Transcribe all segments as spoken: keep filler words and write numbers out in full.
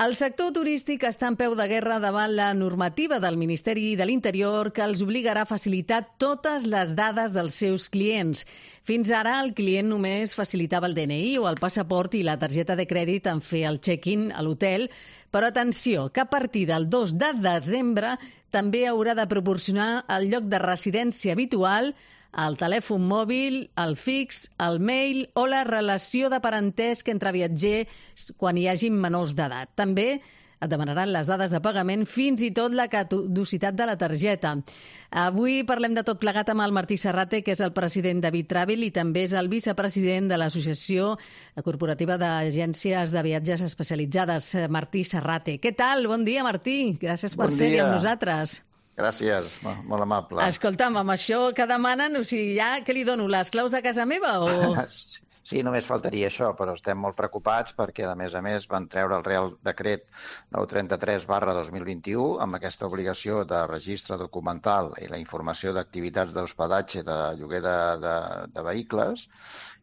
El sector turístic està en peu de guerra davant la normativa del Ministeri de l'Interior que els obligarà a facilitar totes les dades dels seus clients. Fins ara, el client només facilitava el D N I o el passaport i la targeta de crèdit en fer el check-in a l'hotel, però atenció, que a partir del dos de desembre també haurà de proporcionar el lloc de residència habitual, el telèfon mòbil, el fix, el mail o la relació de parentesc entre viatgers quan hi hagi menors d'edat. També et demanaran les dades de pagament, fins i tot la caducitat de la targeta. Avui parlem de tot plegat amb el Martí Serrate, que és el president de Bitravel i també és el vicepresident de l'Associació Corporativa d'Agències de Viatges Especialitzades. Martí Serrate. Què tal? Bon dia, Martí. Gràcies per ser-hi amb nosaltres. Gràcies, molt amable. Escolta'm, amb això que demanen, o sigui, ja què li dono, les claus de casa meva o...? Sí, només faltaria això, però estem molt preocupats perquè, a més a més, van treure el Real Decret nou trenta-tres barra dos mil vint-i-u amb aquesta obligació de registre documental i la informació d'activitats d'hospedatge de lloguer de, de, de vehicles,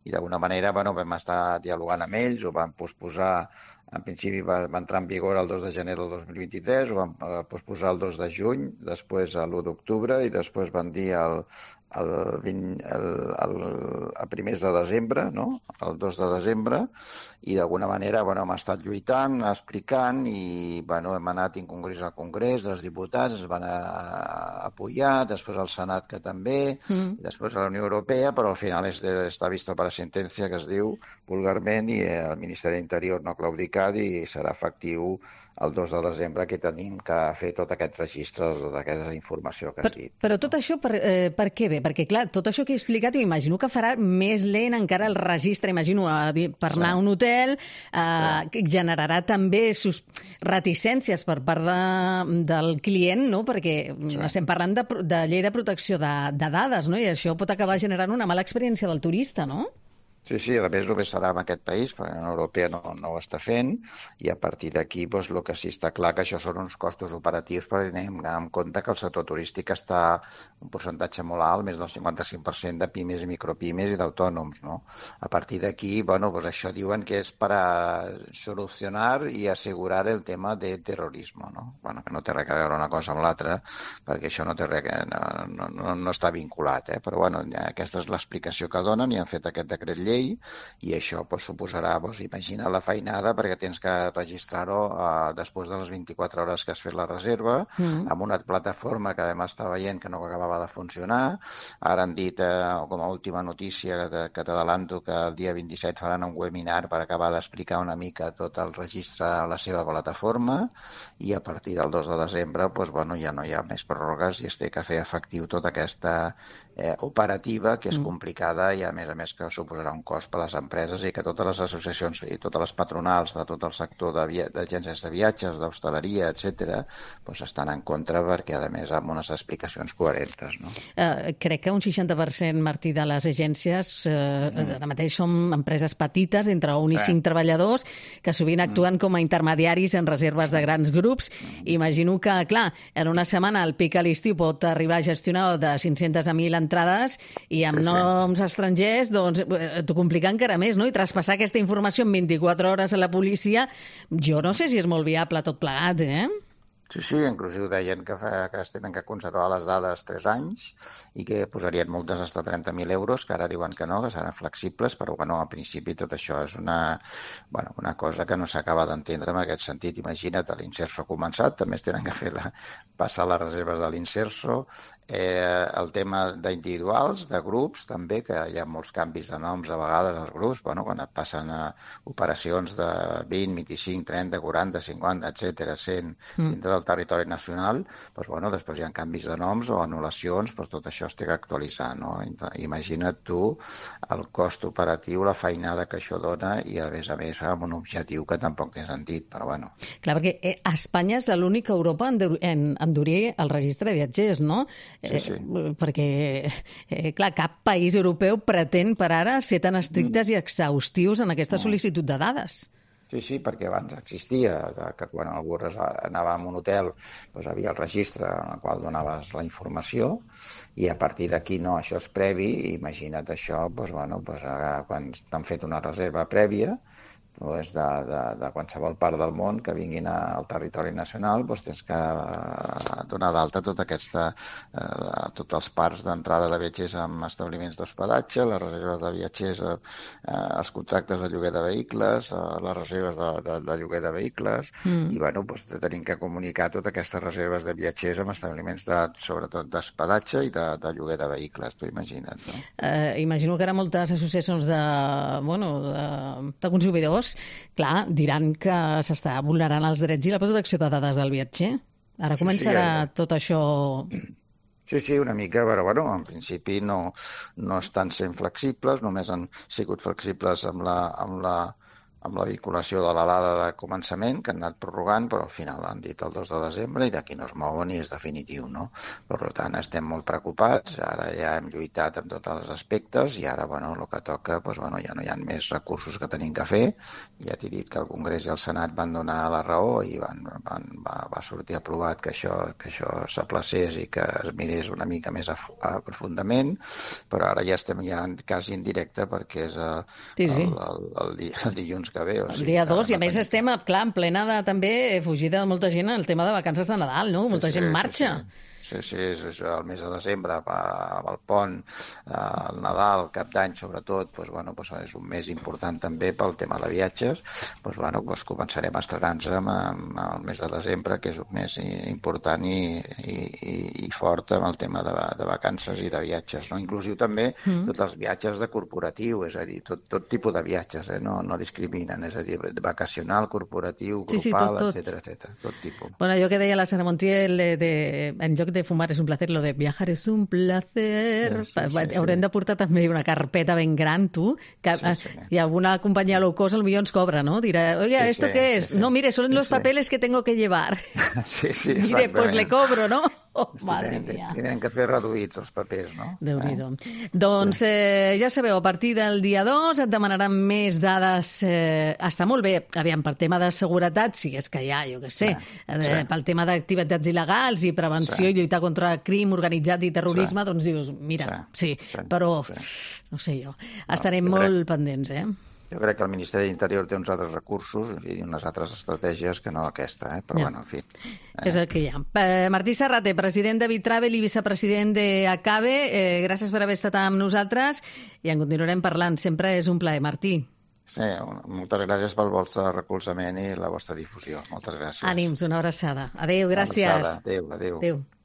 i d'alguna manera bueno, vam estar dialogant amb ells, ho vam posposar. En principi va, va entrar en vigor el dos de gener del dos mil vint-i-tres, ho van eh, posposar el dos de juny, després l'u d'octubre i després van dir el, el, vint, el, el, el primers de desembre, no? El dos de desembre, i d'alguna manera bueno, hem estat lluitant, explicant i bueno, hem anat en congrés al Congrés, els diputats es van a, a apoyar, després al Senat que també, mm. i després a la Unió Europea, però al final és de, està visto per a sentència que es diu vulgarment i el Ministeri de l'Interior no ha claudicat i serà efectiu el dos de desembre que tenim que fer tot aquest registre de tota aquesta informació que has dit. Però, però tot això per, eh, per què bé? Perquè, clar, tot això que he explicat m'imagino que farà més lent encara el registre, imagino, a dir, per anar sí. a un hotel, eh, sí. generarà també sus... reticències per part de, del client, no? Perquè sí. estem parlant de, de llei de protecció de, de dades, no? I això pot acabar generant una mala experiència del turista, no? Sí, sí, a més només serà en aquest país, perquè la Unió Europea no, no ho està fent, i a partir d'aquí doncs, el que sí està clar que això són uns costos operatius, perquè tenim en compte que el sector turístic està un percentatge molt alt, més del cinquanta-cinc per cent de pimes i micropimes i d'autònoms, no? A partir d'aquí, bueno, doncs això diuen que és per a solucionar i assegurar el tema de terrorisme, no? Bueno, que no té res a veure una cosa amb l'altra, perquè això no té res, no, no, no està vinculat, eh? Però bueno, aquesta és l'explicació que donen i han fet aquest decret llei i això pues, suposarà, pues, imagina la feinada perquè tens que registrar-ho eh, després de les vint-i-quatre hores que has fet la reserva, mm-hmm. amb una plataforma que vam estar veient que no acabava de funcionar. Ara han dit, eh, com a última notícia, que, que t'adalanto que el dia vint-i-set faran un webinar per acabar d'explicar una mica tot el registre a la seva plataforma i a partir del dos de desembre pues, bueno, ja no hi ha més pròrrogues i es té que fer efectiu tota aquesta eh, operativa que és mm. complicada i a més a més que suposarà un cost per a les empreses i que totes les associacions i totes les patronals de tot el sector d'agències de viatges, d'hostaleria, etcètera, doncs estan en contra perquè, a més, amb unes explicacions coherentes. No? Uh, crec que un seixanta per cent, Martí, de les agències uh, mm. ara mateix són empreses petites, entre un sí. i cinc treballadors, que sovint actuen mm. com a intermediaris en reserves de grans grups. Mm. Imagino que, clar, en una setmana el pic a l'estiu pot arribar a gestionar de cinc-centes a mil entrades i amb sí, noms sí. estrangers, doncs, t'ho complica encara més, no? I traspassar aquesta informació en vint-i-quatre hores a la policia, jo no sé si és molt viable tot plegat, eh? Sí, sí, inclusiu deien que, fa, que es tenen que conservar les dades tres anys i que posarien multes fins a trenta mil euros, que ara diuen que no, que seran flexibles, però bueno, al principi tot això és una, bueno, una cosa que no s'acaba d'entendre en aquest sentit. Imagina't, l'Inserso ha començat, també es tenen que fer la, passar les reserves de l'Inserso, eh, el tema d'individuals, de grups, també, que hi ha molts canvis de noms a vegades als grups, bueno, quan et passen a operacions de vint, vint-i-cinc, trenta, quaranta, cinquanta, etcètera, cent, mm. dintre del territori nacional, doncs, bueno, després hi ha canvis de noms o anul·lacions, doncs tot això es té que actualitzar, no? Imagina't tu el cost operatiu, la feinada que això dona i, a més a més, amb un objectiu que tampoc té sentit, però bueno. Clar, perquè eh, Espanya és l'única a Europa en endurir el registre de viatgers, no? Sí, sí. Eh, perquè, eh, clar, cap país europeu pretén per ara ser tan estrictes mm. i exhaustius en aquesta sol·licitud de dades. Sí, sí, perquè abans existia que quan algú anava a un hotel doncs havia el registre en el qual donaves la informació i a partir d'aquí no, això és previ, imagina't això, doncs, bueno, doncs, quan t'han fet una reserva prèvia, doncs de, de, de qualsevol part del món que vinguin al territori nacional, doncs tens que donar d'alta tota aquesta, eh, tots els parcs d'entrada de viatgers amb establiments d'hospedatge, les reserves de viatgers, eh, els contractes de lloguer de vehicles, eh, les reserves de, de, de lloguer de vehicles, mm. i bueno, doncs tenim que comunicar totes aquestes reserves de viatgers amb establiments de, sobretot d'hospedatge i de, de lloguer de vehicles, tu imagina't, no? Eh, imagino que ara moltes associacions de, bueno, de, de consumidors, clar, diran que s'està vulnerant els drets i la protecció de dades del viatger. Ara sí, començarà sí, ja, ja. tot això... Sí, sí, una mica, però bueno, en principi no, no estan sent flexibles, només han sigut flexibles amb la, amb la, amb la vinculació de la dada de començament, que han anat prorrogant, però al final han dit el dos de desembre i d'aquí no es mouen i és definitiu, no? Per tant, estem molt preocupats, ara ja hem lluitat en tots els aspectes i ara, bueno, el que toca, doncs, bueno, ja no hi ha més recursos que tenim que fer. Ja t'he dit que el Congrés i el Senat van donar la raó i van, van, va, va sortir aprovat que això, que això s'aplacés i que es mirés una mica més a, a profundament, però ara ja estem ja quasi en directe perquè és el, sí, sí. el, el, el, el, el dilluns que ve. O sigui, el dia dos, i a més tenim... estem, clar, en plena de, també, fugida de molta gent el tema de vacances de Nadal, no? Molta sí, gent sí, marxa. Sí, sí. Sí, sí, és, és el mes de desembre, amb el pont, el Nadal, el Cap d'Any, sobretot, doncs, bueno, doncs és un mes important també pel tema de viatges. Doncs, bueno, doncs començarem a estrenar-nos amb, amb el mes de desembre, que és un mes important i, i, i fort amb el tema de, de vacances i de viatges, no? Inclusiu també mm. tots els viatges de corporatiu, és a dir, tot, tot tipus de viatges, eh? no, no discriminen, és a dir, vacacional, corporatiu, grupal, sí, sí, tot, tot. etcètera, etcètera, tot tipus. Bueno, allò que deia la Sara Montiel, de, de, en lloc de de fumar és un placer, lo de viajar és un placer. Sí, sí, sí, Haurem sí. de portar també una carpeta ben gran, tu, que sí, sí. i alguna companyia low cost potser ens cobra, ¿no? Dirà, oiga, sí, ¿esto sí, qué es? Sí, sí. No, mire, son sí, los papeles sí. que tengo que llevar. Sí, sí, mire, pues le cobro, ¿no? Oh, madre mía. Tenen que fer reduïts els papers, no? Déu-n'hi-do. Eh? Doncs eh, ja sabeu, a partir del dia dos et demanaran més dades. Eh, està molt bé, aviam, per tema de seguretat, si és que hi ha, jo què sé, sí, eh, sí. pel tema d'activitats il·legals i prevenció sí. i lluitar contra crim organitzat i terrorisme, sí. doncs dius, mira, sí, sí, sí. però sí. no sé jo, estarem no, jo molt crec... pendents, eh? Jo crec que el Ministeri d'Interior té uns altres recursos i unes altres estratègies que no aquesta, eh? però ja. bueno, en fi. Eh? És el que hi ha. Eh, Martí Serrater, president de Bitravel i vicepresident d'Acabe, eh, gràcies per haver estat amb nosaltres i en continuarem parlant. Sempre és un plaer, Martí. Sí, moltes gràcies pel vostre recolzament i la vostra difusió. Moltes gràcies. Ànims, una abraçada. Adéu, gràcies. Una abraçada. Adéu, adéu. Adéu.